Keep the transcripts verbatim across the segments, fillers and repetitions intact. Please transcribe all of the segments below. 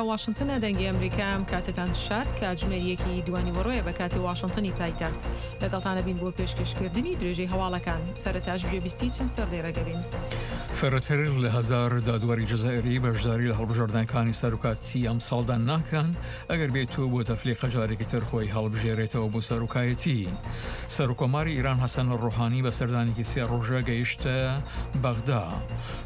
لە واشنتنە دەنگی ئەمریکا ئەم کاتەتان شاد کاتژمێر یەکی دوانیوەڕۆیە بە کاتی واشنتنی پایتەخت. لەگەڵتانە بین بۆ پێشکەشکردنی درێژەی هەواڵەکان. سەرەتاش گوێبیستی چەند سەردێڕێک دەبین. فرەتر لە هەزار دادوەری جەزائیری بەشداری لە هەڵبژاردنەکانی سەرۆکاتی ئەمساڵدا ناکەن ئەگەر بێت و بۆ تەفلیقە جارێکی تر خۆی هەڵبژێرێتەوە بۆ سەرۆکایەتی. سەرۆکۆماری ئیران حەسەن ڕۆحانی بە سەردانێکی سێ ڕۆژە گەیشتە بەغدا.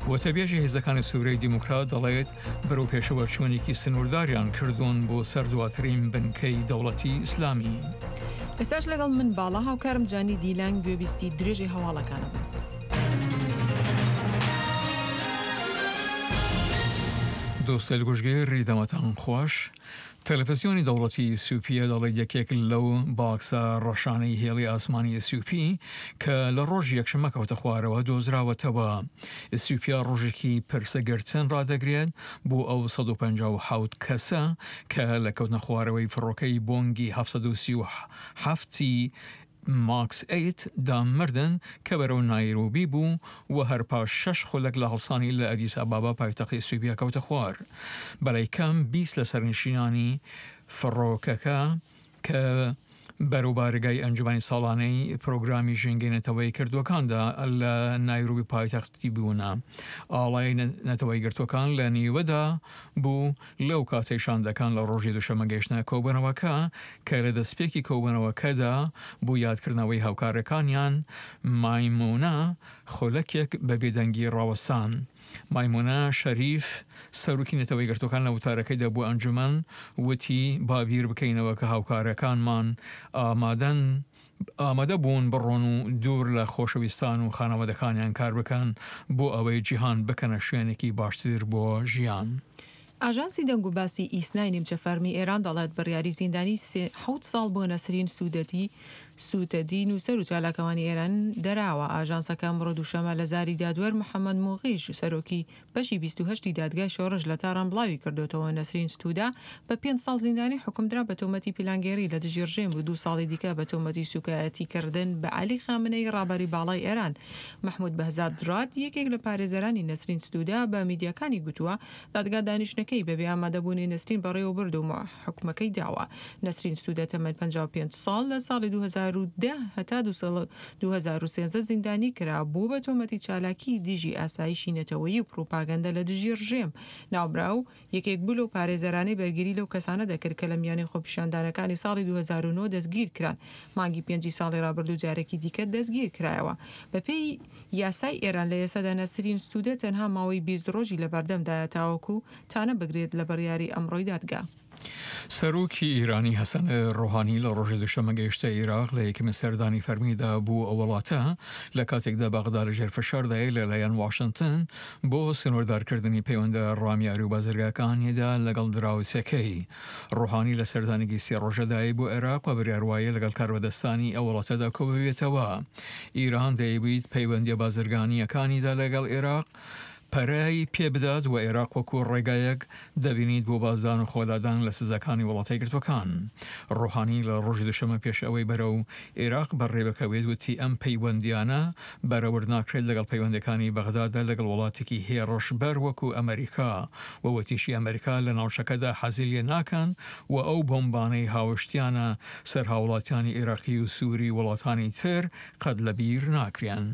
وتەبێژی هێزەکانی سووریای دیموکرات دەڵێت بەرەو پێشەوە چوونێکی سنوورداریان کردوون بۆ سەر دواترین بنکەی دەوڵەتی ئیسلامی. ئێستاش لەگەڵ من باڵا هاوکارم جانی دیلان گوێبیستی درێژەی هەواڵەکانە بن. دۆستەیل گوشگێری دەمەتان خوەش. تەلەڤزیۆنی دەوڵەتی ئیسیوپیا دەڵێت یەکێک لەو باکسە ڕەشانەی هێڵی ئاسمانی ئیسیوپی کە لە ڕۆژی یەکشەممە کەوتە خوارەوە دۆزراوەتەوە. ئیسیوپیا ڕۆژێکی پرسەگرتن ڕادەگرێت بۆ ئەو سەد و پەنجا و حەوت کەسە کە لە کەوتنە خوارەوەی فڕۆکەی بۆنگی هەفت سەد و سی و حەفت ماکس ئەیت دا مردن کە بەرەو نایرۆبی بوو و هەر پاش شەش خولەک لە هەڵسانی لە ئەدیس ئابابا پایتەختی ئیسیوپیا کەوتە خوار. بەلای کەم بیست لە سەرنشینانی فڕۆکەکە کە بەرەو بارگای ئەنجومەنی ساڵانەی پرۆگرامی ژینگەی نەتەوەی کردووەکاندا لە نایرۆبی پایتەختی بوونە. ئاڵای نەتەوەی گرتووەکان لە نیوەدا بوو لەو کاتەی شاندەکان لە ڕۆژی دوشەممە گەیشتنە کۆبوونەوەکە کە لە دەستپێکی کۆبوونەوەکەدا بۆ یادکردنەوەی هاوکارەکانیان مایمونە خولەکێک بە بێدەنگی ڕاوەستان. مایمونە شەریف سەرۆکی نەتەوەی گرتووەکان لە وتارەکەیدا بۆ ئەنجومەن وتی با بیر بکەینەوە کە هاوکارەکانمان ئامادەن ئامادە بوون بڕۆن و دوور لە خۆشەویستان و خانەوادەکانیان کار بکەن بۆ ئەوەی جیهان بکەنە شوێنێکی باشتر بۆ ژیان. ئاژانسی دەنگ و باسی ئیسنای نیمچە فەرمی ئێران دەڵێت بڕیاری زیندانی حەوت ساڵ بۆ نەسرین سوودەتی سووتەدی نووسەر و چالاکەوانی ئێران دەراوە. ئاژانسەکە ئەمڕۆ دووشەممە لە زاری دادوەر محەممەد موغیش سەرۆکی بەشی بیست و هەشتی دادگای شۆڕش لە تاران بڵاوی کردوتەوە. نەسرین ستودا بە پێنج ساڵ زیندانی حکومدرا بە تۆمەتی پیلانگێڕی لە دژی ڕژێم و دوو ساڵی دیکە بە تۆمەتی سوکایەتیکردن بە عەلی خامنەیی ڕابەری باڵای ئێران. محمود بەهزاد ڕاد یەکێک لە پارێزەرانی نەسرین ستودا بە میدیاکانی گوتووە دادگا دانیشتنەکەی بەبێ ئامادەبوونی نەسرین بەڕێوە برد و حکومەکەی داوە. نەسرین ستودا تەمەن پەنجا و پێنج ساڵ لە ساڵی دوو هەزار و دە هەتا دوو هەزار و سێزدە زیندانی کرا بوو بە تۆمەتی چالاکی دژی ئاسایشی نەتەوەیی و پروپاگەندە لە دژی ڕژێم. ناوبراو یەکێک بوو لەو پارێزەرانەی بەرگری لەو کەسانە دەکرد کە لە میانەی خۆپیشاندانەکانی ساڵی دوو هەزار و نۆ دەستگیر کران. مانگی پێنجی ساڵی ڕابردوو جارێکی دیکە دەستگیر کرایەوە. بەپێی یاسای ئێران لە ئێستادا نەسرین ستوودە تەنها ماوەی بیست ڕۆژی لە بەردەمدایە تاوەکو تانە بگرێت لە بڕیاری ئەمڕۆی دادگا. سەرۆکی ئیرانی حەسەن ڕۆحانی لە ڕۆژی دوشەممە گەیشتە عێراق لە یەکەمین سەردانی فەرمیدا بۆ ئەو وڵاتە لە کاتێکدا بەغدا لەژێر فشاردایە لەلایەن واشنتن بۆ سنووردارکردنی پەیوەندە ڕامیاری و بازرگاکانیدا لەگەڵ دراوسێکەی. ڕۆحانی لە سەردانێکی سێ ڕۆژەدایە بۆ عێراق و بڕیار وایە لەگەڵ کاربەدەستانی ئەو وڵاتەدا کۆببێتەوە. ئیران دەیەویت پەیوەندیە بازرگانیەکانیدا لەگەڵ عێراق پەرەی پێبدات و عێراق وەکو ڕێگایەک دەبینیت بۆ بازدان و خۆلادان لە سزاکانی وڵاتە یەکگرتووەکان. ڕۆحانی لە ڕۆژی دوشەممە پێش ئەوەی بەرەو عێراق بەڕێبکەوێت وتی ئەم پەیوەندیانە بەرەورد ناکرێت لەگەڵ پەیوەندەکانی بەغدادا لەگەڵ وڵاتێکی هێڕشبەر وەکو ئەمریکا و وتیشی ئەمریکا لە ناوچەکەدا حەزی لێ ناکەن و ئەو بۆمبانەی هاوشتیانە سەر هاوڵاتیانی عێراقی و سووری وڵاتانی تر قەت لەبیر ناکرێن.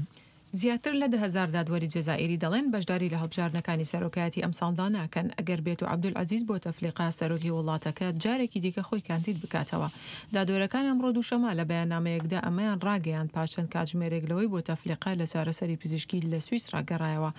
زیاتر لە دە هەزار دادوەری جەزائیری دەڵێن بەشداری لە هەڵبژاردنەکانی سەرۆکایەتی ئەمساڵدا ناکەن ئەگەر بێت و عەبدولعەزیز بوتەفلیقە سەرۆکی وڵاتەکە جارێکی دیکە خۆی کاندید بکاتەوە. دادوەرەکان ئەمڕۆ دووشەممە لە بەیاننامەیەکدا ئەمەیان ڕاگەیاند پاش چەند کاتژمێرێک لەوەی بوتەفلیقە لە چارەسەری پزیشکی لە سویسرا گەڕایەوە.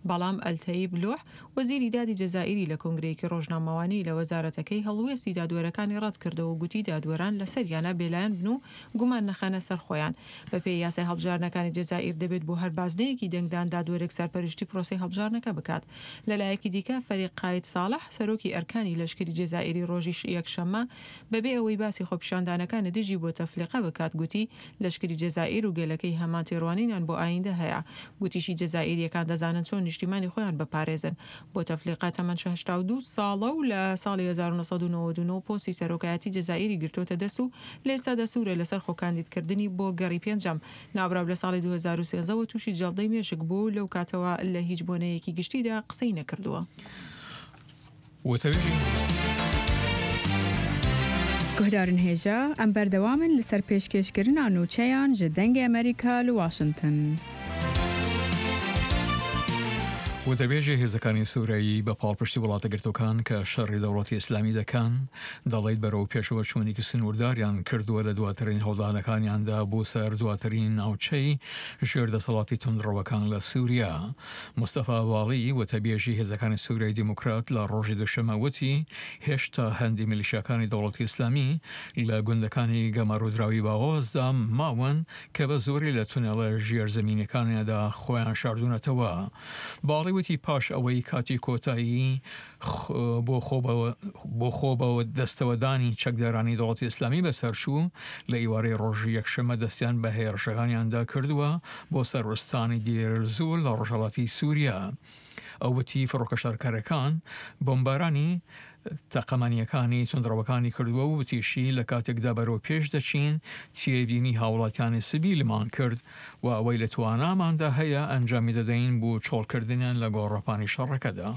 بەڵام ئەلتەیب لوح وەزیری دادی جەزائیری لە کۆنگرەیەکی ڕۆژنامەوانی لە وەزارەتەکەی هەڵوێستی دادوەرەکانی ڕەتکردەوە و گوتی دادوەران لەسەریانە بێلایەن بن و گومان نەخەنە سەر خۆیان. بەپێی یاسای هەڵبژاردنەکانی جەزائیر دەبێت بۆ هەر بازنەیەکی دەنگدان دادوەرێک سەرپەرشتی پرۆسەی هەڵبژاردنەکە بکات. لەلایەکی دیکە فەریق قاید ساڵح سەرۆکی ئەرکانی لەشکری جەزائیری ڕۆژی یەکشەممە بەبێ ئەوەی باسی خۆپیشاندانەکانی دژی بوتەفلیقە بکات گوتی لەشکری جەزائیر و گەلەکەی هەمان تێڕوانینیان بۆ ئایندە هەیە. گوتیشی جەزائیریەکان دەزانن چۆن نیشتیمانی خۆیان بپارێزن. بوتەفلیقە تەمەن هەشتا و دوو ساڵە و لە ساڵی هەزار و نۆ سەد و نەوەد و نۆ پۆستی سەرۆکایەتی جەزائیری گرتووەتە دەست و لە ئێستادا سوورە لەسەر خۆکاندیدکردنی بۆ گەڕی پێنجەم. ناوبراو لە ساڵی دوو هەزار و سێزدە وە تووشی جەڵدەی مێشک بوو و لەو کاتەوە لە هیچ بۆنەیەکی گشتیدا قسەی نەکردووە. وتەبێژی Guhdarên hêja em berdewam in li ser pêşkêşkirina nûçeyan ji Dengê Amerîka li Washington. وتەبێژی هێزەکانی سوورایی بە پاڵپشتی وڵاتە گرتوەکان کە شەڕی دەوڵەتی ئیسلامی دەکەن دەڵێت بەرەو پێشەوە چوونێکی سنوورداریان کردووە لە دواترین هەوڵدانەکانیاندا بۆ سەر دواترین ناوچەی ژێر دەسەڵاتی توندڕەوەکان لە سووریا. مستەفا واڵی وتەبێژی هێزەکانی سووریای دیموکرات لە ڕۆژی دوشەمە وتی هێشتا هەندی میلیشیاکانی دەوڵەتی ئیسلامی لە گوندەکانی گەمارۆدراوی باغۆزدا ماون کە بە زۆری لە تونێڵە ژێرزەمینەکانیاندا خۆیان شاردوونەتەوە. باڵی وتی پاش ئەوەی کاتی کۆتایی بۆ خۆ بە دەستەوەدانی چەکدارانی دەوڵەتی ئیسلامی بەسەرچوو لە ئیوارەی ڕۆژی یەکشەممە دەستیان بە هێرشەکانیاندا کردووە بۆ سەر ئوستانی دێرزور لە ڕۆژهەڵاتی سووریا. ئەو وتی فڕۆکە شەڕکەرەکان بۆمبارانی تەقەمەنیەکانی توندڕەوەکانی کردووە و وتیشی لە کاتێکدا بەرەو پێش دەچین تێبینی هاوڵاتیانی سبیلمان کرد و ئەوەی لە تواناماندا هەیە ئەنجامی دەدەین بۆ چۆڵکردنیان لە گۆڕەپانی شەڕەکەدا.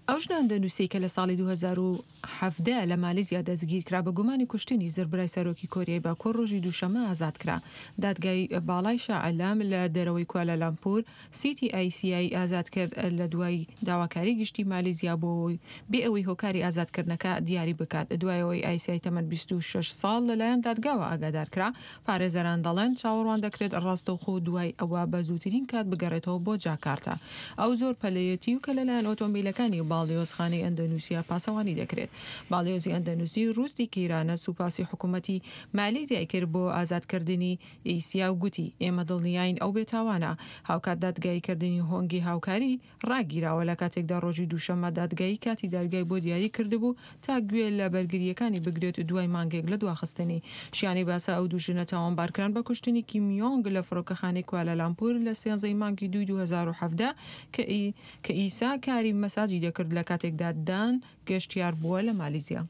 ئەو ژنە ئەندەنووسیەی کە لە ساڵی دوو هەزار و حەڤدە لە مالیزیا دەستگیرکرا بە گومانی کوشتنی زربرای سەرۆکی کۆریای باکوور ڕۆژی دووشەممە ئازاد کرا. دادگای باڵای شا عەلام لە دەرەوەی کوالالامپور سیتی ئایسیای ئازاد کرد لە دوای داواکاری گشتی مالیزیا بۆ بێ ئەوەی هۆکاری ئازادکردنەکە دیاری بکات. دوای ئەوەی ئایسیای تەمەن بیست و شەش ساڵ لەلایەن دادگاوە ئاگادار کرا، پارێزەران دەڵێن چاوەڕوان دەکرێت ڕاستەوخۆ دوای ئەوە بە زووترین کات بگەڕێتەوە بۆ جاکارتا. ئەو زۆر پەلەیەتی و کە لەلایەن ئۆتۆمبیلەکانی باڵیۆزخانەی ئەندەنووسیا پاسەوانی دەکرێت. باڵیۆزی ئەندەنووسی ڕووستی کیرانە سوپاسی حکوومەتی مالیزیای کرد بۆ ئازادکردنی ئیسیا و گوتی ئێمە دڵنیاین ئەو بێتاوانە. هاوکات دادگاییکردنی هۆنگی هاوکاری ڕاگیراوە لە کاتێکدا ڕۆژی دووشەممە دادگایی کاتی دادگای بۆ دیاری کردبوو تا گوێ لە بەرگریەکانی بگرێت دوای مانگێک لە دواخستنی. شیانی باسە ئەو دوو ژنە تاوانبارکران بە کوشتنی کیم یۆنگ لە فڕۆکەخانەی کوالالامپور لە سێنزەی مانگی دووی دوو هەزار و حەڤدە کە ئیسا کاری مەساجی دەکرد لە کاتێکدا دان گەشتیار بووە لە مالیزیا.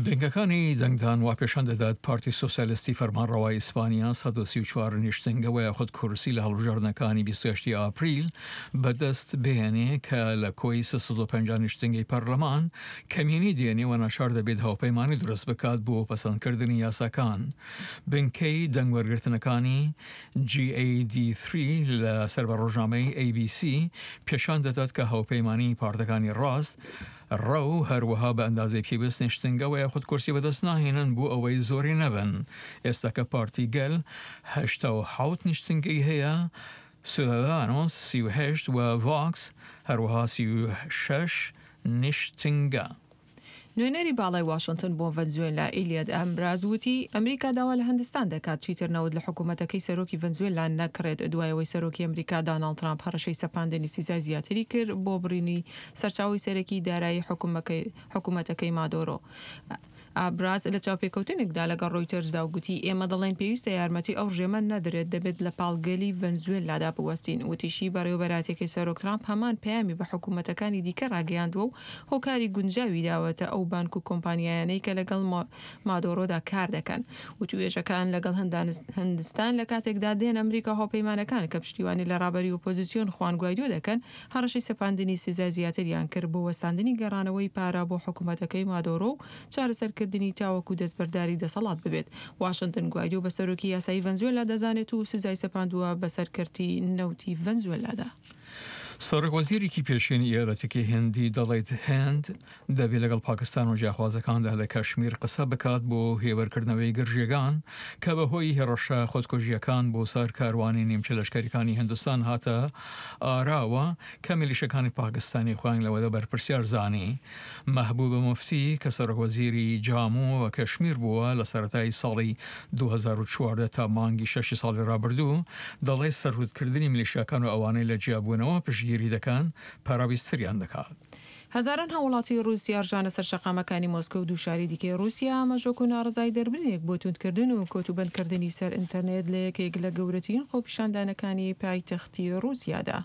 بنکەکانی دەنگدان وا پێشان دەدات پارتی سۆسیالیستی فەرمانڕەوای ئیسپانیا سەد و سی و چوار نیشتنگەوە یاخود کورسی لە هەڵبژاردنەکانی بیست و هەشت ئاپریل بەدەست بهێنێ کە لە کۆی سێ سەد و پەنجا نیشتنگەی پەرلەمان کەمینی دێنێ و ناچار دەبێت هاوپەیمانی دروست بکات بۆ پەسەندکردنی یاساکان. بنکەی دەنگوەرگرتنەکانی جی ئەی دی سێ لە سەر بە ڕۆژنامەی ئەی بی سی پێشان دەدات کە هاوپەیمانی پارتەکانی ڕاست ڕەو هەروەها بە ئەندازەی پێویست نیشتنگەوە یاخود کورسی بەدەست ناهێنن بۆ ئەوەی زۆری نەبن. ئێستا کە پارتی گەل هەشتا و حەوت نیشتنگەی هەیە، سودادانۆس سی و هەشت و ڤاکس هەروەها سی و شەش نیشتنگە. نوێنەری باڵای واشنتن بۆ ڤەنزوێلا ئیلیاد ئەمراز وتی ئەمریکا داوا لە هەندستان دەکات چیتر نەوت لە حکوومەتەکەی سەرۆکی ڤەنزوێلا نەکڕێت دوای ئەوەی سەرۆکی ئەمریکا داناڵد ترامپ هەڕەشەی سەپاندنی سزای زیاتری کرد بۆ بڕینی سەرچاوەی سەرەکی دارایی حکوومەتەکەی مادۆرۆ. ئابراز لە چاوپێکەوتنێکدا لەگەڵ ڕۆیتەرزدا و گوتی ئێمە دەڵێن پێویستە یارمەتی ئەو ڕژێمە نەدرێت، دەبێت لە پاڵگەلی ڤەنزوێلادا بوەستین. وتیشی بەڕێوەبەراتێکی سەرۆک ترامپ هەمان پەیامی بە حکوومەتەکانی دیکە ڕاگەیاندووە و هۆکاری گونجاوی داوەتە ئەو بانک و کۆمپانیایانەی کە لەگەڵ مادۆرۆدا کار دەکەن. وتوێژەکان لەگەڵ هەندستان لە کاتێکدا دێن ئەمریکا هاوپەیمانەکان کە پشتیوانی لە ڕابەری ئۆپۆزیسیۆن خوان گوایدۆ دەکەن هەڕەشەی سەپاندنی سزای زیاتریان کرد بۆ وەستاندنی گەڕانەوەی پارە بۆ حکوومەتەکەی مادۆرۆ و چارەسەرکردنی تاوەکو دەستبەرداری دەسەڵات ببێت. واشنتن گوایدۆ بە سەرۆکی یاسایی ڤەنزوێلا دەزانێت و سزای سەپاندووە بەسەر کەرتی نەوتی ڤەنزوێلادا. سەرۆک وەزیرێکی پێشینی ئیالەتێکی هندی دەڵێت هند دەبێت لەگەڵ پاکستان و جیاخوازەکاندا لە کەشمیر قسە بکات بۆ هێوەرکردنەوەی گرژیەکان کە بەهۆی هێڕەشە خۆدکوژیەکان بۆ سەر کاروانی نیمچە لەشکەریەکانی هندستان هاتە ئاراوە کە میلیشەکانی پاکستانی خۆیان لەوەدا بەرپرسیار زانی. مەحبوبە موفتی کە سەرۆک وەزیری جامو و کەشمیر بووە لە سەرەتای ساڵی دوو هەزار و چواردە تا مانگی شەشی ساڵی ڕابردوو دەڵێت سەرکوتکردنی میلیشیاکان و ئەوانەی لە جیابوونەوە پشتگیری دەکەن پەراویزتریان دەکات. هەزاران هاوڵاتی ڕووسیا ڕژانە سەر شەقامەکانی مۆسکۆ و دوو شاری دیکەی ڕووسیا ئاماژەک و ناڕەزای دەربرینێک بۆ توندکردن و کۆتوبەندکردنی سەر ئینتەرنێت لە یەکێک لە گەورەترین خۆپیشاندانەکانی پایتەختی ڕووسیادا.